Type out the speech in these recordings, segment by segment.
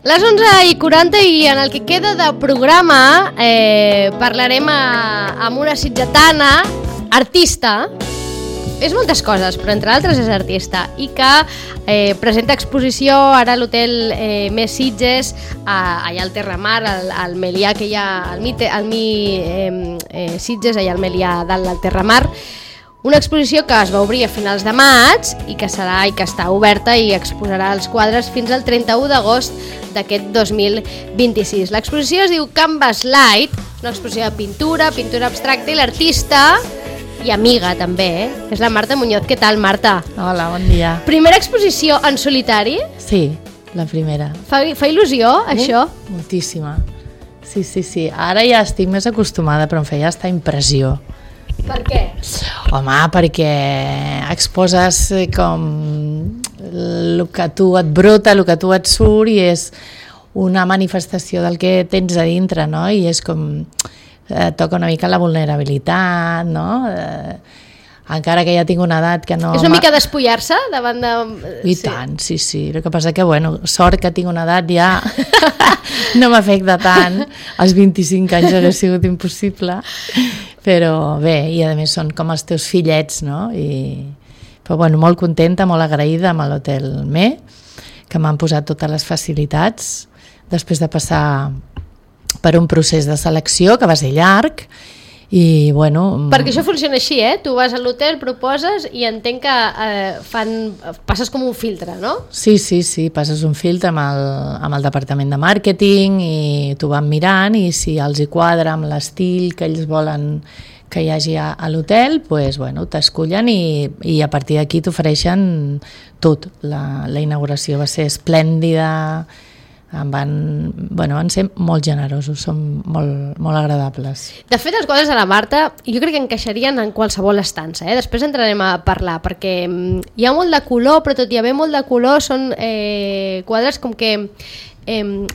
Les 11:40 i en el que queda de programa parlarem amb una sitgetana, artista, és moltes coses, però entre altres és artista, i que presenta exposició ara a l'hotel Més Sitges, allà al Terramar, al Melià que hi ha, al Sitges, allà al Melià dalt del Terramar. Una exposició que es va obrir a finals de maig i que està oberta i exposarà els quadres fins al 31 d'agost d'aquest 2026. L'exposició es diu Canvas Light, una exposició de pintura abstracta, i l'artista i amiga també, és la Marta Muñoz. Què tal, Marta? Hola, bon dia. Primera exposició en solitari? Sí, la primera. Fa il·lusió, això? Moltíssima. Sí. Ara ja estic més acostumada, però em feia estar impressió. Per què? Home, perquè exposes com el que tu et brota, el que tu et surt, i és una manifestació del que tens a dintre, no? I és com toca una mica la vulnerabilitat, no? Encara que ja tinc una edat que no... És una mica despullar-se davant de... I tant, sí. El que passa que, bueno, sort que tinc una edat ja no m'afecta tant. Als 25 anys hauria sigut impossible. Però bé, i a més són com els teus fillets, no? Però bueno, molt contenta, molt agraïda amb l'Hotel Me, que m'han posat totes les facilitats després de passar per un procés de selecció que va ser llarg. I bueno... Perquè això funciona així, tu vas a l'hotel, proposes i entenc que passes com un filtre, no? Sí, passes un filtre amb el departament de màrqueting i t'ho van mirant, i si els hi quadra amb l'estil que ells volen que hi hagi a l'hotel, doncs, bueno, t'escullen i a partir d'aquí t'ofereixen tot. La inauguració va ser esplèndida, van ser molt generosos, són molt agradables. De fet, els quadres de la Marta jo crec que encaixarien en qualsevol estança, després entrarem a parlar, perquè hi ha molt de color, però tot i haver molt de color són quadres com que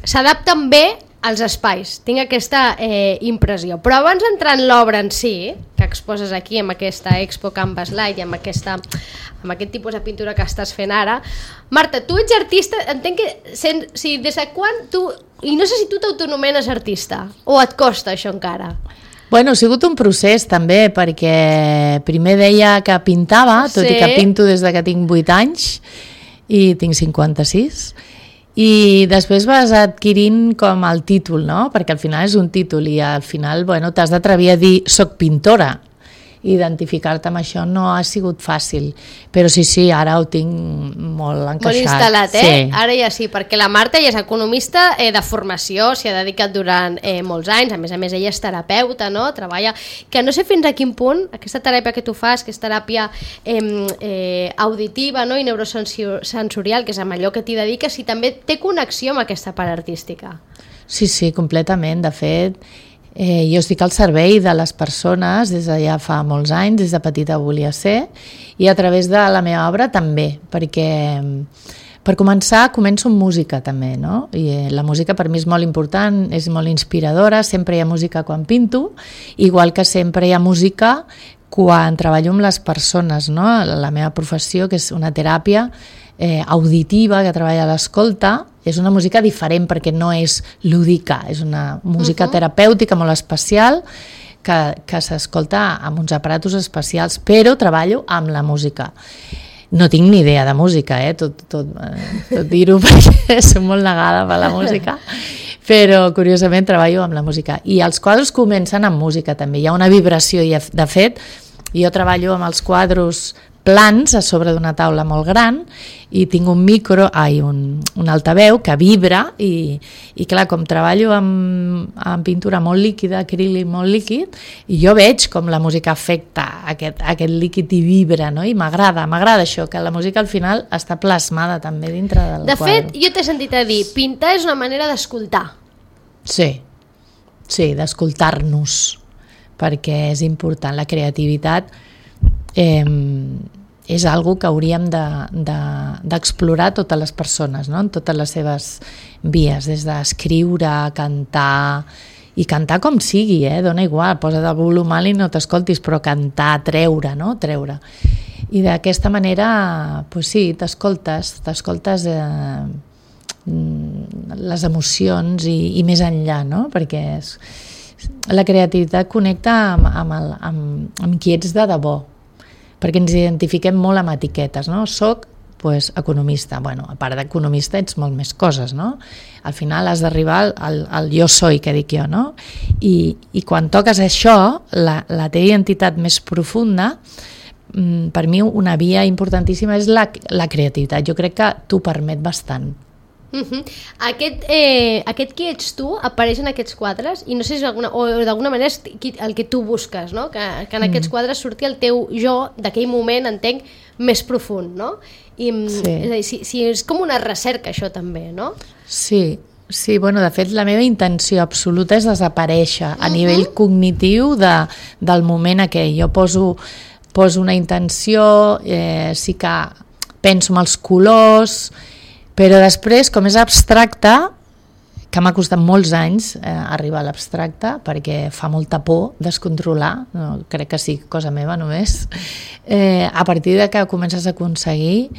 s'adapten bé als espais, tinc aquesta impressió. Però abans d'entrar en l'obra en si, que exposes aquí amb aquesta Expo Canvas Light i amb aquest tipus de pintura que estàs fent ara, Marta, tu ets artista, entenc que des de quan tu, i no sé si tu t'autonomenes artista o et costa això encara? Bueno, ha sigut un procés també, perquè primer deia que pintava, tot i que pinto des de que tinc 8 anys i tinc 56, i després vas adquirint com el títol, no? Perquè al final és un títol i al final, bueno, t'has d'atrevir a dir soc pintora. Identificar-te amb això no ha sigut fàcil, però sí, ara ho tinc molt encaixat. Molt instal·lat, Sí. Ara ja sí, perquè la Marta ja és economista de formació, s'hi ha dedicat durant molts anys, a més ella és terapeuta, no? Treballa, que no sé fins a quin punt aquesta teràpia que tu fas, que és teràpia auditiva, no? I neurosensorial, que és amb allò que t'hi dediques, si també té connexió amb aquesta part artística. Sí, completament. De fet, jo estic al servei de les persones des de ja fa molts anys, des de petita volia ser, i a través de la meva obra també, perquè per començar començo amb música també, no? I la música per mi és molt important, és molt inspiradora, sempre hi ha música quan pinto, igual que sempre hi ha música quan treballo amb les persones, no? La meva professió, que és una teràpia auditiva que treballa a l'escolta, és una música diferent perquè no és lúdica, és una música terapèutica molt especial que s'escolta amb uns aparatos especials, però treballo amb la música. No tinc ni idea de música, tot dir-ho perquè soc molt negada per la música, però curiosament treballo amb la música. I els quadres comencen amb música també, hi ha una vibració, i de fet jo treballo amb els quadres plans a sobre d'una taula molt gran i tinc un altaveu que vibra i clar, com treballo amb pintura molt líquida, acrílic molt líquid, i jo veig com la música afecta aquest líquid i vibra, no? I m'agrada això, que la música al final està plasmada també dintre del quadre. De fet, jo t'he sentit a dir, pintar és una manera d'escoltar. Sí, Sí, d'escoltar-nos, perquè és important. La creativitat és algo que hauríem d'explorar totes les persones, no? En totes les seves vies, des d'escriure, cantar, i cantar com sigui, dona igual, posa't el volum alt i no t'escoltis, però cantar, treure, no? Treure. I d'aquesta manera, pues sí, t'escoltes les emocions i més enllà, no? Perquè la creativitat connecta amb qui ets de debò, perquè ens identifiquem molt amb etiquetes, no? Soc economista. Bueno, a part d'economista ets molt més coses, no? Al final has d'arribar al jo soy, que dic jo, no? I quan toques això, la teva identitat més profunda, per mi una via importantíssima és la creativitat. Jo crec que t'ho permet bastant. Aquest qui ets tu apareix en aquests quadres i no sé si d'alguna manera és el que tu busques, no? Que en aquests quadres surti el teu jo d'aquell moment, entenc, més profund, no? Sí. És a dir, si és com una recerca això també, no? Sí, bueno, de fet la meva intenció absoluta és desaparèixer a nivell cognitiu del moment aquell. Jo poso una intenció, sí que penso en els colors, però després, com és abstracte, que m'ha costat molts anys arribar a l'abstracte, perquè fa molta por descontrolar, no, crec que sí, cosa meva només, a partir de que comences a aconseguir,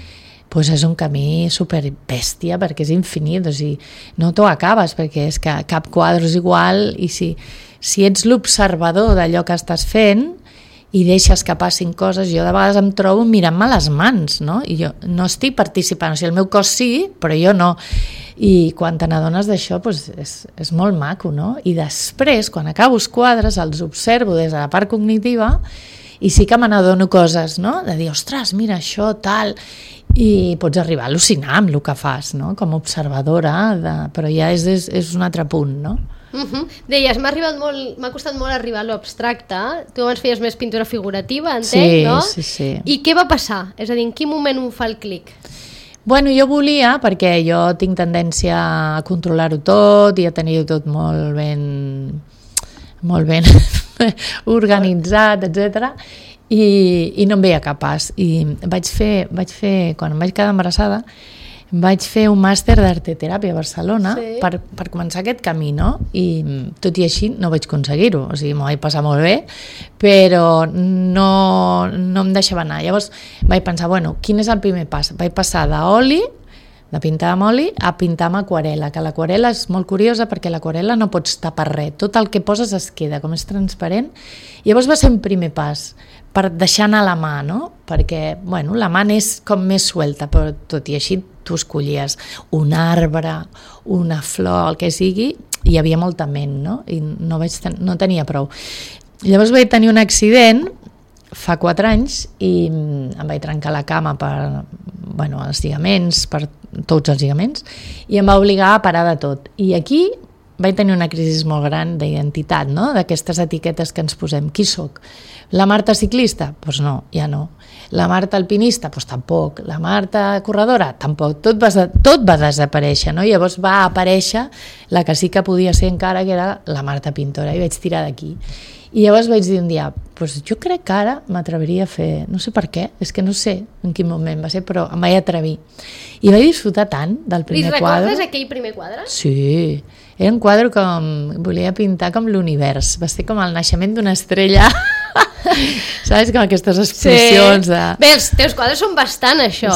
doncs és un camí superbèstia, perquè és infinit, o sigui, no t'ho acabes, perquè és que cap quadre és igual, i si ets l'observador d'allò que estàs fent, i deixes que passin coses, jo de vegades em trobo mirant-me les mans, no? I jo no estic participant, o sigui, el meu cos sí, però jo no. I quan te n'adones d'això, doncs és molt maco, no? I després, quan acabo els quadres, els observo des de la part cognitiva i sí que me n'adono coses, no? De dir, ostres, mira això, tal, i pots arribar a al·lucinar amb el que fas, no? Com a observadora, però ja és un altre punt, no? Deies, m'ha costat molt arribar a l'abstracte. Tu abans feies més pintura figurativa, entenc, no? Sí. I què va passar? És a dir, en quin moment ho fa el clic? Bueno, jo volia, perquè jo tinc tendència a controlar-ho tot i a tenir-ho tot molt ben organitzat, etc. I no em veia capaç. I vaig fer, quan em vaig quedar embarassada, vaig fer un màster d'arteteràpia a Barcelona per començar aquest camí, no? I tot i així no vaig aconseguir-ho, o sigui, m'ho vaig passar molt bé, però no em deixava anar. Llavors vaig pensar, bueno, quin és el primer pas? Vaig passar de pintar amb oli a pintar amb aquarel·la, que l'aquarel·la és molt curiosa perquè l'aquarel·la no pots tapar res, tot el que poses es queda, com és transparent. Llavors va ser un primer pas per deixar anar la mà, no? Perquè, bueno, la mà és com més suelta, però tot i així tu escollies un arbre, una flor, el que sigui, i hi havia molta ment, no? I no tenia prou. Llavors vaig tenir un accident fa 4 anys i em vaig trencar la cama els lligaments, per tots els lligaments, i em va obligar a parar de tot. I aquí vaig tenir una crisi molt gran d'identitat, no? D'aquestes etiquetes que ens posem. Qui sóc? La Marta ciclista? Doncs no, ja no. La Marta alpinista? Doncs tampoc. La Marta corredora? Tampoc. Tot va desaparèixer, no? Llavors va aparèixer la que sí que podia ser encara, que era la Marta pintora, i vaig tirar d'aquí. I llavors vaig dir un dia, doncs jo crec que ara m'atreviria a fer, no sé per què, és que no sé en quin moment va ser, però em vaig atrevir. I vaig disfrutar tant del primer quadre. I recordes aquell primer quadre? Sí, era un quadre com, volia pintar com l'univers, va ser com el naixement d'una estrella, saps, com aquestes explosions de... Bé, els teus quadres són bastant això,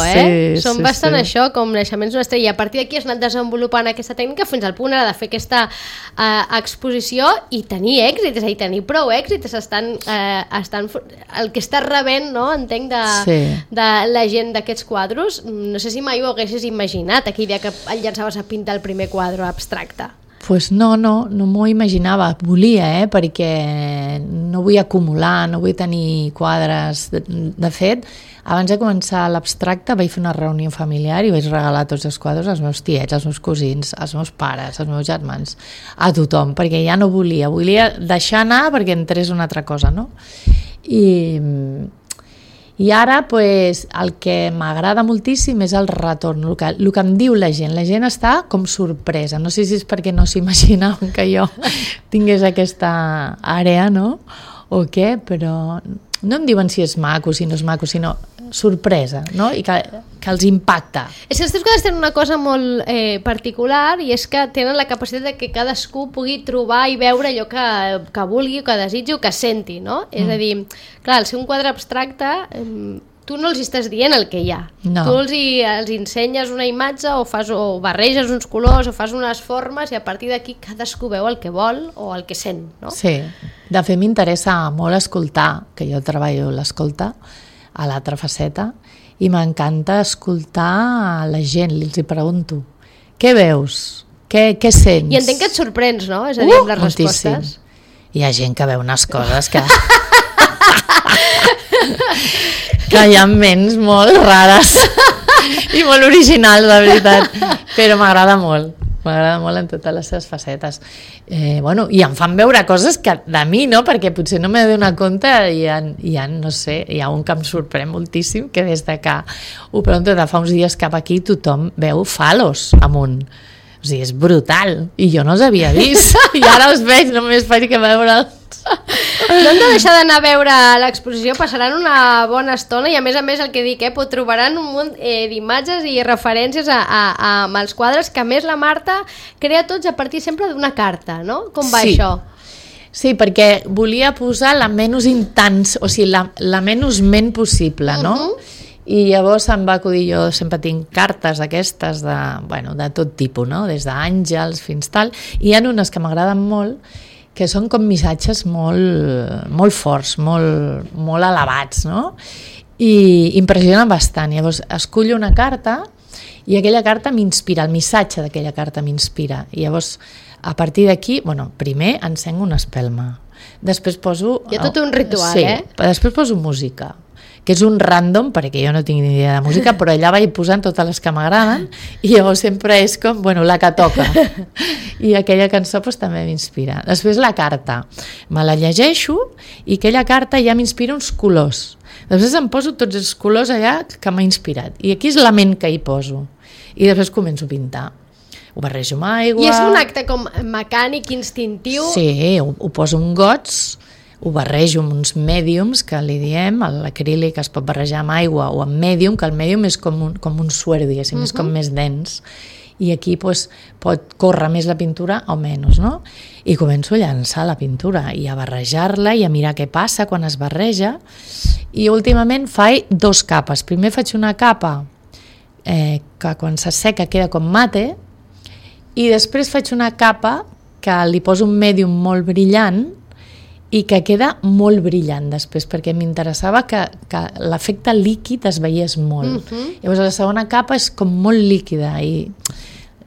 són bastant això, com naixements d'una estrella, i a partir d'aquí has anat desenvolupant aquesta tècnica fins al punt ara de fer aquesta exposició i tenir èxit, és a dir, tenir prou èxit, el que estàs rebent, no? Entenc, de la gent d'aquests quadros. No sé si mai ho haguessis imaginat aquell dia que et llançaves a pintar el primer quadre abstracte. Pues no m'ho imaginava, volia, perquè no vull acumular, no vull tenir quadres. De fet, abans de començar l'abstracte vaig fer una reunió familiar i vaig regalar tots els quadres als meus tiets, als meus cosins, als meus pares, als meus germans, a tothom, perquè ja no volia deixar anar perquè entrés una altra cosa, no? I ara pues, el que m'agrada moltíssim és el retorn, el que em diu la gent. La gent està com sorpresa. No sé si és perquè no s'imaginaven que jo tingués aquesta àrea, no? O què, però no em diuen si és maco, si no és maco, sinó sorpresa, no? I que els impacta. És que els teus quadres tenen una cosa molt particular i és que tenen la capacitat de que cadascú pugui trobar i veure allò que vulgui, que desitgi o que senti, no? És a dir, clar, al ser un quadre abstracte, tu no els estàs dient el que hi ha. No. Tu els ensenyes una imatge o barreges uns colors o fas unes formes i a partir d'aquí cadascú veu el que vol o el que sent, no? Sí, de fet m'interessa molt escoltar, que jo treballo l'escolta a l'altra faceta, i m'encanta escoltar la gent, els hi pregunto, què veus? Què sents? I entenc que et sorprens, no? És a dir, amb les moltíssim. respostes. Hi ha gent que veu unes coses que... que hi ha ments molt rares i molt originals, la veritat, però m'agrada molt en totes les seves facetes. Bueno, i em fan veure coses que de mi, no? Perquè potser no m'he donat compte, hi ha, no sé, hi ha un que em sorprèn moltíssim, que des de que ho pregunto de fa uns dies cap aquí tothom veu falos amunt. O sigui, és brutal, i jo no els havia vist i ara els veig, només faig que veure'ls. No hem de deixar d'anar a veure l'exposició, passaran una bona estona i a més el que dic, trobaran un munt d'imatges i referències amb els quadres, que a més la Marta crea tots a partir sempre d'una carta, no? Com va això? Sí, perquè volia posar la menys intens, o sigui, la menys ment possible, no? I llavors em va acudir, jo sempre tinc cartes aquestes de tot tipus, no? Des d'àngels fins tal, i hi ha unes que m'agraden molt, que són com missatges molt forts, molt elevats, no? I impressionen bastant. Llavors escullo una carta i aquella carta m'inspira, el missatge d'aquella carta m'inspira. I llavors, a partir d'aquí, primer encenc una espelma. Després poso... Hi ha tot un ritual, sí, després poso música, que és un random, perquè jo no tinc ni idea de música, però allà vaig posant totes les que m'agraden i llavors sempre és com, la que toca. I aquella cançó també m'inspira. Després la carta, me la llegeixo i aquella carta ja m'inspira uns colors. Després em poso tots els colors allà que m'ha inspirat. I aquí és la ment que hi poso. I després començo a pintar. Ho barrejo amb aigua... I és un acte com mecànic, instintiu... Sí, ho poso en gots, ho barrejo amb uns mèdiums, que li diem, l'acrílic es pot barrejar amb aigua o amb mèdium, que el mèdium és com un suer, diguéssim, és com més dens, i aquí pot córrer més la pintura o menys, no? I començo a llançar la pintura i a barrejar-la i a mirar què passa quan es barreja, i últimament faig 2 capes. Primer faig una capa que quan s'asseca queda com mate, i després faig una capa que li poso un mèdium molt brillant i que queda molt brillant després, perquè m'interessava que l'efecte líquid es veiés molt. Llavors la segona capa és com molt líquida i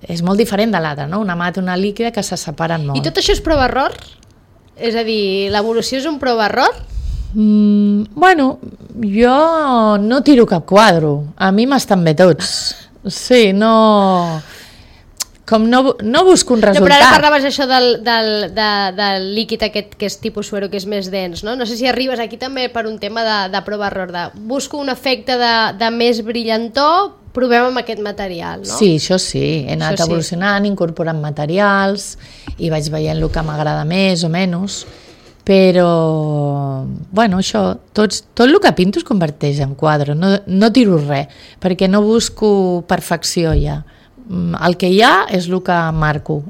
és molt diferent de l'altra, no? Una mata i una líquida que se separen molt. I tot això és prova-error? És a dir, l'evolució és un prova-error? Jo no tiro cap quadre, a mi m'estan bé tots. Sí, no busco un resultat. No, però ara parlaves això del líquid aquest que és tipus suero, que és més dens, no? No sé si arribes aquí també per un tema de prova-error, busco un efecte de més brillantor, provem amb aquest material, no? Sí, això sí, he anat evolucionant, incorporant materials i vaig veient el que m'agrada més o menys, però això, tot el que pinto es converteix en quadre, no tiro res, perquè no busco perfecció ja. El que hi ha és el que marco.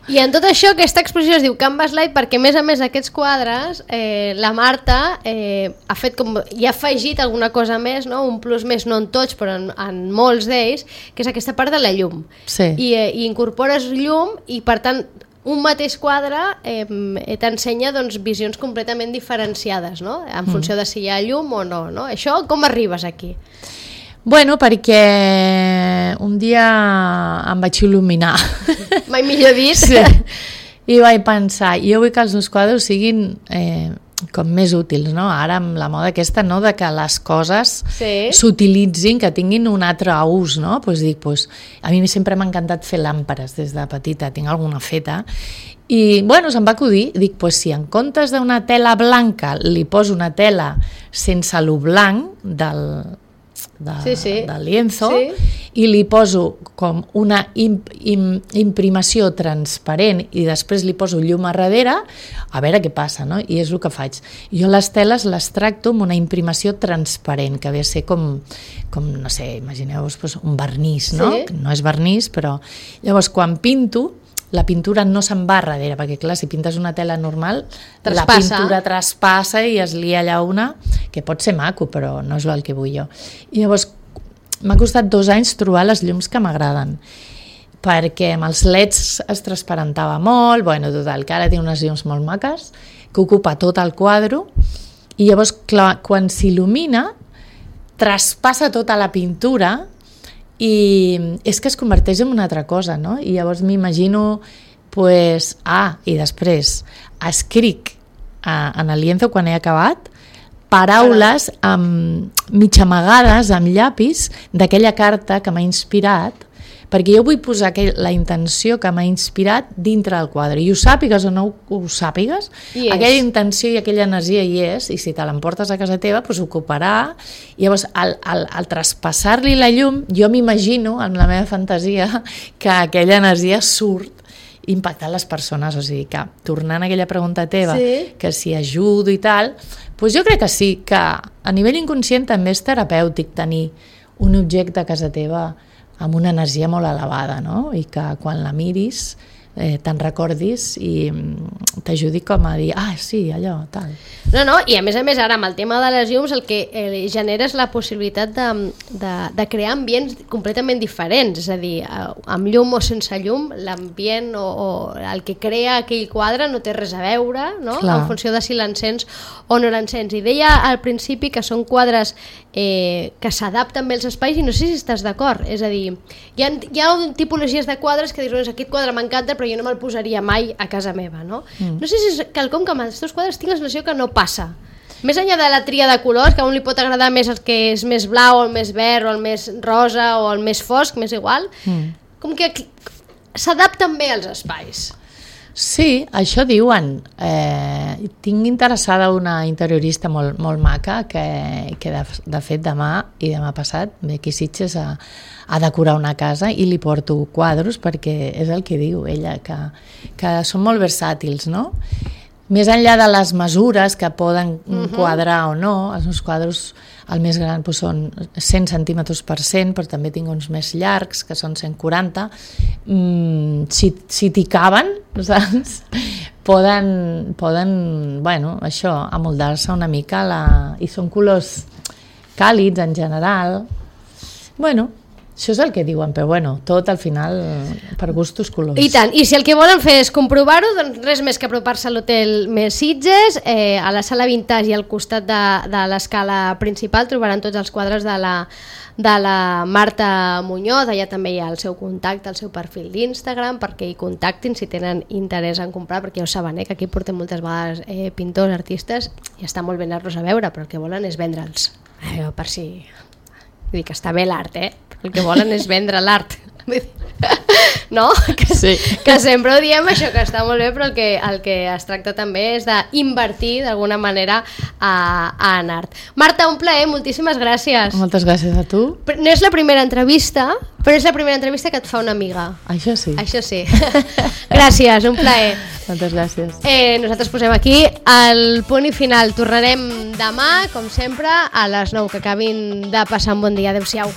I en tot això, aquesta exposició es diu Canvas Light perquè, a més aquests quadres, la Marta ha fet i ha afegit alguna cosa més, no? Un plus més, no en tots, però en molts d'ells, que és aquesta part de la llum. Sí. I incorpores llum i, per tant, un mateix quadre t'ensenya visions completament diferenciades, no? En funció de si hi ha llum o no, no? Això, com arribes aquí? Perquè un dia em vaig il·luminar. Mai millor dit. Sí. I vaig pensar, jo vull que els meus quadres siguin com més útils, no? Ara amb la moda aquesta, no?, de que les coses s'utilitzin, que tinguin un altre ús, no? A mi sempre m'ha encantat fer làmperes des de petita, tinc alguna feta, I, bueno, se'm va acudir, dic, pues si en comptes d'una tela blanca li poso una tela sense lo blanc del lienzo, i li poso com una imprimació transparent i després li poso llum a darrere, a veure què passa, no? I és el que faig. Jo les teles les tracto amb una imprimació transparent, que ve a ser com no sé, imagineu-vos un vernís, no? Que no és vernís, però llavors quan pinto, la pintura no se'n va darrere, perquè clar, si pintes una tela normal, la pintura traspassa i es lia allà una, que pot ser maco, però no és el que vull jo. I llavors m'ha costat 2 anys trobar les llums que m'agraden, perquè amb els leds es transparentava molt, bueno, total, que ara tinc unes llums molt maques, que ocupa tot el quadre, i llavors, clar, quan s'il·lumina, traspassa tota la pintura, i és que es converteix en una altra cosa, no? I llavors m'imagino, pues, i després escric en el lienzo quan he acabat paraules mig amagades amb llapis d'aquella carta que m'ha inspirat, perquè jo vull posar la intenció que m'ha inspirat dintre del quadre, i ho sàpigues o no ho sàpigues, aquella intenció i aquella energia hi és, i si te l'emportes a casa teva, doncs ocuparà. I llavors, al traspassar-li la llum, jo m'imagino, amb la meva fantasia, que aquella energia surt impactant les persones, o sigui que, tornant a aquella pregunta teva, que si ajudo i tal, doncs jo crec que sí, que a nivell inconscient també és terapèutic tenir un objecte a casa teva amb una energia molt elevada, no? I que quan la miris te'n recordis i t'ajudi com a dir, sí, allò, tal. No, i a més ara amb el tema de les llums el que genera és la possibilitat de crear ambients completament diferents, és a dir, amb llum o sense llum, l'ambient o el que crea aquell quadre no té res a veure, no? En funció de si l'encens o no l'encens. I deia al principi que són quadres que s'adapten bé als espais, i no sé si estàs d'acord, és a dir, hi ha tipologies de quadres que dius, aquest quadre m'encanta però jo no me'l posaria mai a casa meva, no? No sé si és quelcom que amb els teus quadres tinc la sensació que no passa. Més enllà de la tria de colors, que a un li pot agradar més el que és més blau, o el més verd, o el més rosa, o el més fosc, m'és igual, com que s'adapten bé als espais. Sí, això diuen. Tinc interessada una interiorista molt maca que de fet demà i demà passat ve aquí a Sitges a decorar una casa i li porto quadros perquè és el que diu ella, que són molt versàtils, no? Més enllà de les mesures que poden quadrar o no, els meus quadros, el més gran són 100 centímetres per 100, però també tinc uns més llargs, que són 140. Si t'hi caben, saps? Poden, bueno, això, amoldar-se una mica, i són colors càlids en general. Bueno, això és el que diuen, però bueno, tot al final per gustos colors. I tant, i si el que volen fer és comprovar-ho, doncs res més que apropar-se a l'hotel Més Sitges, a la sala Vintage i al costat de l'escala principal trobaran tots els quadres de la Marta Muñoz. Allà també hi ha el seu contacte, el seu perfil d'Instagram, perquè hi contactin si tenen interès en comprar, perquè ja ho saben, que aquí portem moltes vegades pintors, artistes, i està molt bé anar-los a veure, però el que volen és vendre'ls. Per si... Vull dir que està bé l'art, el que volen és vendre l'art. No? Que sempre ho diem, això, que està molt bé, però el que es tracta també és d'invertir d'alguna manera en art. Marta, un plaer, moltíssimes gràcies. Moltes gràcies a tu. No és la primera entrevista, però és la primera entrevista que et fa una amiga. Això sí. Això sí. Gràcies, un plaer. Moltes gràcies. Nosaltres posem aquí el punt i final. Tornarem demà, com sempre, a les 9, que acabin de passar un bon dia. Adéu-siau.